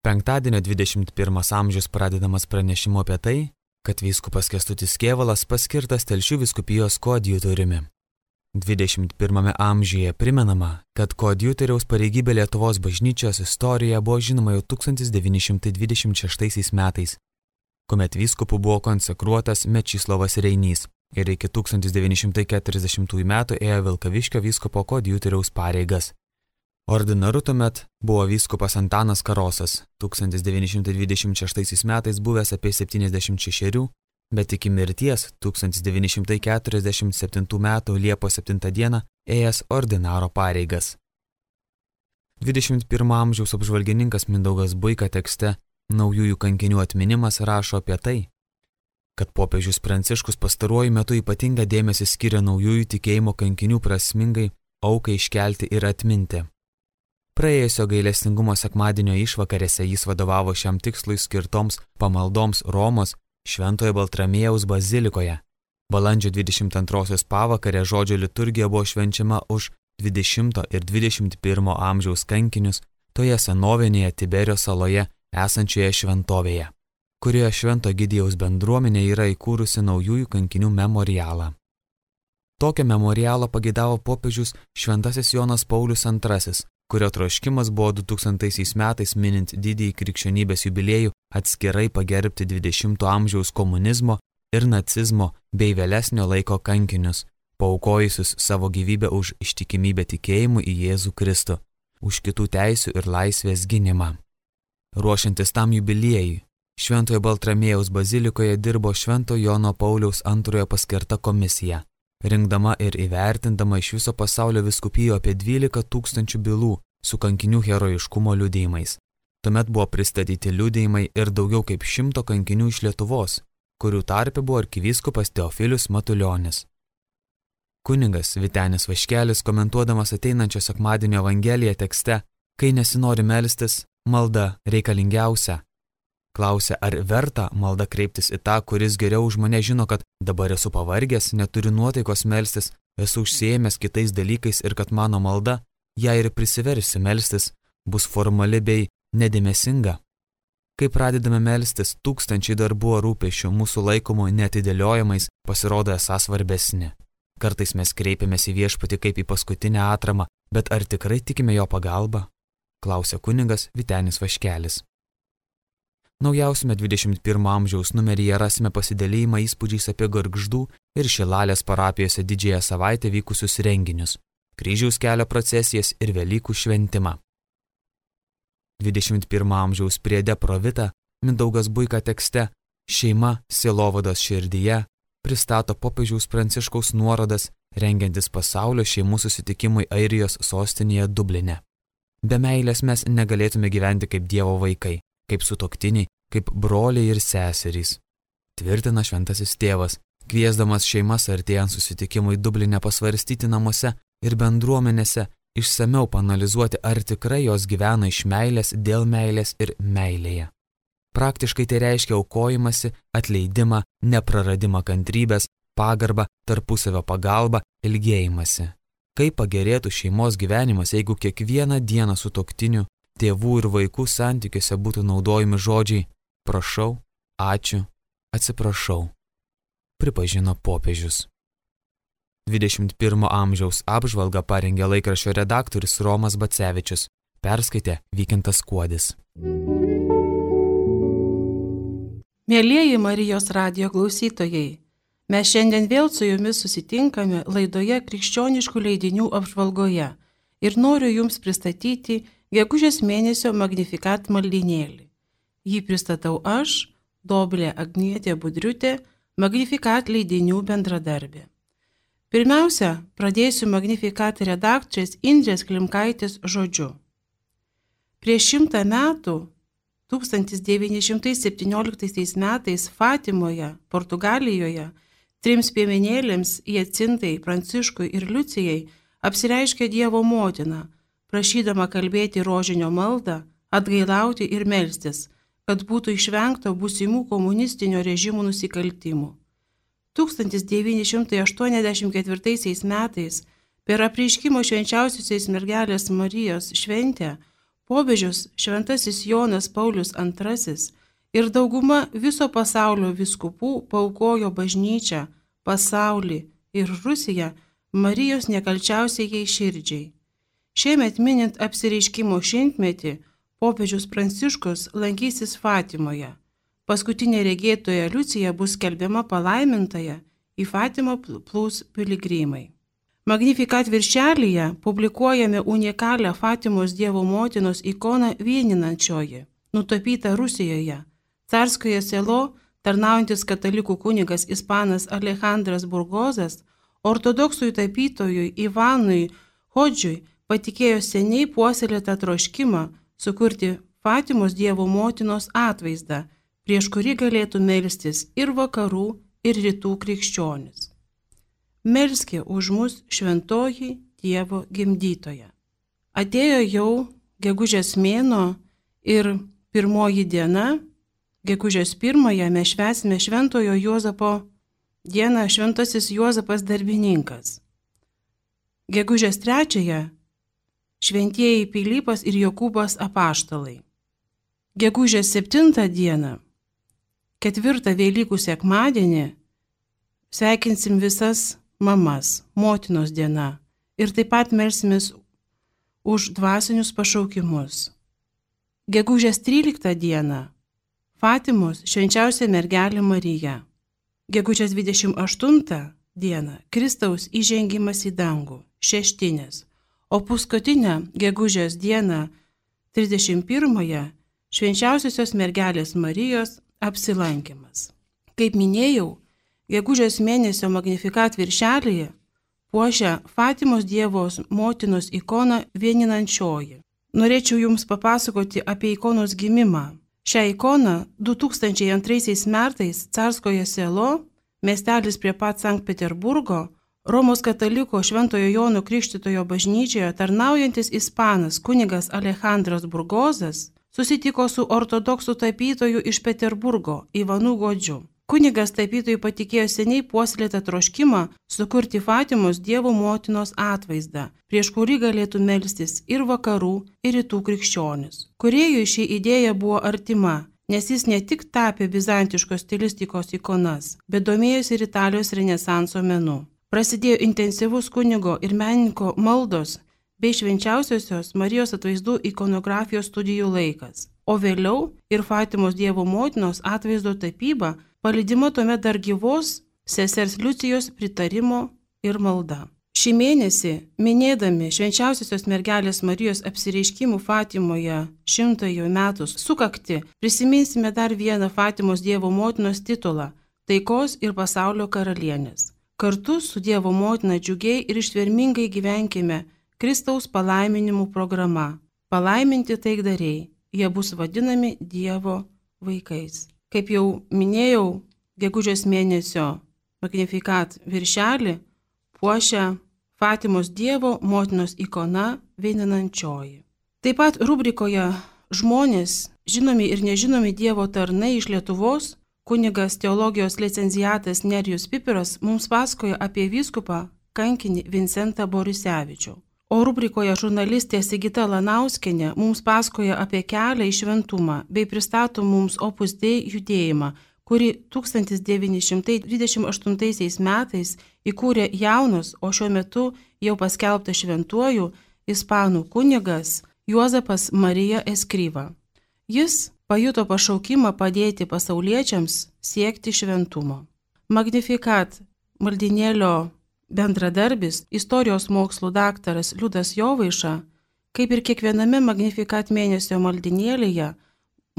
Penktadienio 21 amžius pradedamas pranešimu apie tai, kad vyskupas Kęstutis Kėvalas paskirtas Telšių vyskupijos koadjutoriumi. 21 amžiuje primenama, kad koadjutoriaus pareigybė Lietuvos bažnyčios istorijoje buvo žinoma jau 1926 metais, kuomet vyskupu buvo konsekruotas Mečislovas Reinys ir iki 1940 metų ėjo Vilkaviškio vyskupo koadjutoriaus pareigas. Ordinaru tuomet buvo vyskupas Antanas Karosas, 1926 metais buvęs apie 76, bet iki mirties 1947 metų Liepos 7 dieną ėjęs ordinaro pareigas. 21 amžiaus apžvalgininkas Mindaugas Buika tekste Naujųjų kankinių atminimas rašo apie tai, kad popiežius Pranciškus pastaruoju metu ypatingą dėmesį skiria naujųjų tikėjimo kankinių prasmingai aukai iškelti ir atminti. Praėjusio gailestingumo sekmadienio išvakarėse jis vadovavo šiam tikslui skirtoms pamaldoms Romos Šventojo Baltramiejaus bazilikoje. Balandžio 22 pavakarę žodžio liturgija buvo švenčiama už 20 ir 21 amžiaus kankinius toje senovinėje Tiberio saloje esančioje šventovėje, kurioje Švento Egidijaus bendruomenė yra įkūrusi naujųjų kankinių memorialą. Tokio memorialo pageidavo popiežius Šventasis Jonas Paulius II, kurio troškimas buvo 2000 metais minint didįjį krikščionybės jubiliejų atskirai pagerbti 20 amžiaus komunizmo ir nacizmo bei vėlesnio laiko kankinius, paaukojusius savo gyvybę už ištikimybę tikėjimu į Jėzų Kristų, už kitų teisių ir laisvės gynimą. Ruošiantis tam jubiliejui, Šventojo Baltramiejaus bazilikoje dirbo Švento Jono Pauliaus II paskirta komisija, rinkdama ir įvertindama iš viso pasaulio vyskupijų apie 12 000 bylų su kankinių herojiškumo liudijimais. Tuomet buvo pristatyti liudijimai ir daugiau kaip 100 kankinių iš Lietuvos, kurių tarpe buvo arkivyskupas Teofilius Matulionis. Kunigas Vytenis Vaškelis, komentuodamas ateinančio sekmadienio Evangeliją tekste, kai nesinori melstis, malda reikalingiausia. Klausė, ar verta malda kreiptis į tą, kuris geriau už mane žino, kad dabar esu pavargęs, neturiu nuotaikos melstis, esu užsiėmęs kitais dalykais ir kad mano malda, jei ir prisiversiu melstis, bus formali bei nedėmesinga. Kai pradedame melstis, tūkstančiai darbų ar rūpesčių mūsų laikomų neatidėliojamais pasirodo esą svarbesni. Kartais mes kreipiamės į viešpatį kaip į paskutinę atramą, bet ar tikrai tikime jo pagalbą? Klausė kunigas Vytenis Vaškelis. Naujausiame 21 amžiaus numeryje rasime pasidalėjimą įspūdžiais apie Gargždų ir Šilalės parapijose didžiąją savaitę vykusius renginius, kryžiaus kelio procesijas ir Velykų šventimą. 21 amžiaus priede Provita Mindaugas Buika tekste Šeima sielovados širdyje pristato popiežiaus Pranciškaus nuorodas rengiantis pasaulio šeimų susitikimui Airijos sostinėje Dubline. Be meilės mes negalėtume gyventi kaip Dievo vaikai, kaip sutuoktiniai, kaip broliai ir seserys. Tvirtina šventasis tėvas, kviesdamas šeimas artėjant susitikimui Dubline pasvarstyti namuose ir bendruomenėse, išsamiau paanalizuoti, ar tikrai jos gyvena iš meilės, dėl meilės ir meilėje. Praktiškai tai reiškia aukojimąsi, atleidimą, nepraradimą kantrybės, pagarbą, tarpusavio pagalbą, ilgėjimąsi. Kaip pagerėtų šeimos gyvenimas, jeigu kiekvieną dieną sutuoktinių, tėvų ir vaikų santykiuose būtų naudojami žodžiai prašau, ačiū, atsiprašau, pripažino popiežius. 21 amžiaus apžvalgą parengė laikraščio redaktorius Romas Bacevičius, perskaitė Vykintas Kuodis. Mielieji Marijos radijo klausytojai, mes šiandien vėl su jumis susitinkame laidoje Krikščioniškų leidinių apžvalgoje ir noriu jums pristatyti gegužės mėnesio Magnificat maldynėlį. Jį pristatau aš, Dovilė Agnietė Budriutė, Magnificat leidinių bendradarbė. Pirmiausia, pradėsiu Magnificat redaktorės Indrės Klimkaitės žodžiu. Prieš 100 metų, 1917 metais Fatimoje, Portugalijoje, 3 piemenėlėms Jacintai, Pranciškui ir Liucijai apsireiškė Dievo motina, prašydama kalbėti rožinio maldą, atgailauti ir melstis, kad būtų išvengta būsimų komunistinio režimų nusikaltimų. 1984 metais per apreiškimo švenčiausiosios mergelės Marijos šventę Popiežius šventasis Jonas Paulius II ir dauguma viso pasaulio vyskupų paaukojo bažnyčią, pasaulį ir Rusiją Marijos nekalčiausiai širdžiai. Šiemet minint apsireiškimo šimtmetį, popiežius Pranciškus lankysis Fatimoje. Paskutinė regėtoja Liucija bus skelbiama palaimintaja, į Fatimą plūs piligrimai. Magnificat viršelyje publikuojame unikalią Fatimos Dievo motinos ikoną vieninančioji, nutapytą Rusijoje. Carskoje selo tarnaujantis katalikų kunigas ispanas Alejandras Burgozas ortodoksui tapytojui Ivanui Hodžiui patikėjo seniai puoselėtą troškimą sukurti Fatimos Dievo motinos atvaizdą, prieš kurį galėtų melstis ir vakarų, ir rytų krikščionis. Melskė už mus šventoji Dievo gimdytoja. Atėjo jau gegužės mėnuo ir pirmoji diena, gegužės 1 mes švęsime Šventojo Juozapo dieną, Šventasis Juozapas darbininkas. Gegužės 3 šventieji Pilypas ir Jokūbas apaštalai. Gegužės 7 dieną, 4 Velykų sekmadienį, sveikinsim visas mamas, motinos diena ir taip pat melsimės už dvasinius pašaukimus. Gegužės 13 dieną, Fatimos švenčiausia mergelė Marija. Gegužės 28 dieną, Kristaus įžengimas į dangų, šeštinės, o paskutinę gegužės dieną, 31 švenčiausiosios mergelės Marijos apsilankymas. Kaip minėjau, gegužės mėnesio Magnificat viršelyje puošia Fatimos Dievo motinos ikoną vieninančioji. Norėčiau Jums papasakoti apie ikonos gimimą. Šią ikoną 2002 metais Carskoje selo, miestelis prie pat Sankt Peterburgo, Romos kataliko Šventojo Jono Krikštytojo bažnyčioje tarnaujantis ispanas kunigas Alejandras Burgozas susitiko su ortodoksų tapytoju iš Peterburgo Ivanu Godžiu. Kunigas tapytojui patikėjo seniai puoselėtą troškimą sukurti Fatimos Dievo motinos atvaizdą, prieš kurį galėtų melstis ir vakarų, ir rytų krikščionis. Kūrėjui ši idėja buvo artima, nes jis ne tik tapė bizantiškos stilistikos ikonas, bet domėjosi ir Italijos renesanso menu. Prasidėjo intensyvus kunigo ir menininko maldos bei švenčiausiosios Marijos atvaizdų ikonografijos studijų laikas, o vėliau ir Fatimos Dievo motinos atvaizdo tapyba palydima tuomet dar gyvos sesers Liucijos pritarimo ir malda. Šį mėnesį, minėdami švenčiausiosios mergelės Marijos apsireiškimų Fatimoje 100 metų sukakti, prisiminsime dar vieną Fatimos Dievo motinos titulą – taikos ir pasaulio karalienės. Kartu su Dievo motina džiugiai ir ištvermingai gyvenkime Kristaus palaiminimų programa. Palaiminti taikdariai, jie bus vadinami Dievo vaikais. Kaip jau minėjau, gegužės mėnesio Magnificat viršelį puošia Fatimos Dievo motinos ikona vieninančioji. Taip pat rubrikoje žmonės, žinomi ir nežinomi Dievo tarnai iš Lietuvos, kunigas teologijos licenciatas Nerijus Pipiras mums pasakoja apie vyskupą kankinį Vincentą Borisevičių. O rubrikoje žurnalistė Sigita Lanauskienė mums pasakoja apie kelią į šventumą bei pristato mums Opus Dei judėjimą, kurį 1928 metais įkūrė jaunas, o šiuo metu jau paskelbtas šventuoju ispanų kunigas Juozapas Marija Escriva. Jis pajuto pašaukimą padėti pasauliečiams siekti šventumo. Magnificat maldinėlio bendradarbis, istorijos mokslų daktaras Liudas Jovaiša, kaip ir kiekviename Magnificat mėnesio maldinėlyje,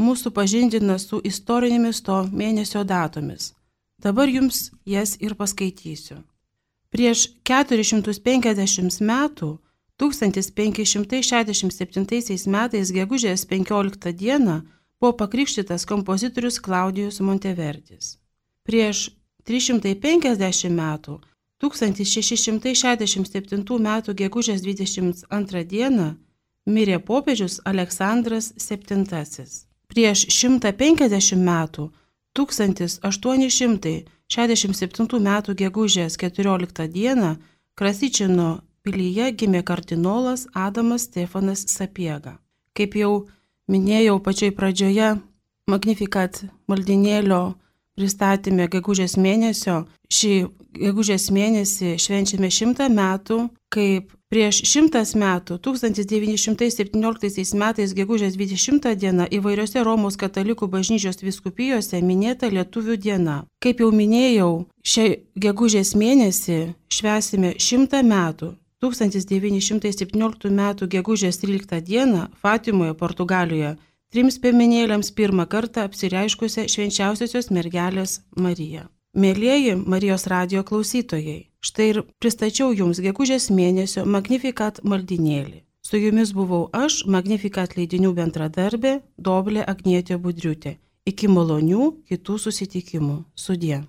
mūsų pažindina su istorinėmis to mėnesio datomis. Dabar jums jas ir paskaitysiu. Prieš 450 metų, 1567 metais gegužės 15 dieną, buvo pakrikštytas kompozitorius Klaudijus Monteverdis. Prieš 350 metų, 1667 metų gegužės 22 dieną mirė popiežius Aleksandras VII. Prieš 150 metų, 1867 metų gegužės 14 dieną Krasičino pilyje gimė kardinolas Adamas Stefanas Sapiega. Kaip jau minėjau pačioj pradžioje, Magnificat maldinėlio pristatymė gegužės mėnesio, šį gegužės mėnesį švenčiame 100 metų, kaip prieš 100 metų, 1917 metais gegužės 20 diena įvairiose Romos katalikų bažnyčios vyskupijose minėta Lietuvių diena. Kaip jau minėjau, šią gegužės mėnesį švęsime 100 metų. 1917 metų gegužės 13 dieną Fatimoje, Portugalijoje, 3 piemenėliams pirmą kartą apsireiškusią švenčiausiosios mergelės Mariją. Mėlieji Marijos radijo klausytojai, štai ir pristačiau jums gegužės mėnesio Magnificat maldinėlį. Su jumis buvau aš, Magnificat leidinių bendradarbė Dovilė Agnietė Budriutė. Iki malonių kitų susitikimų. Sudie.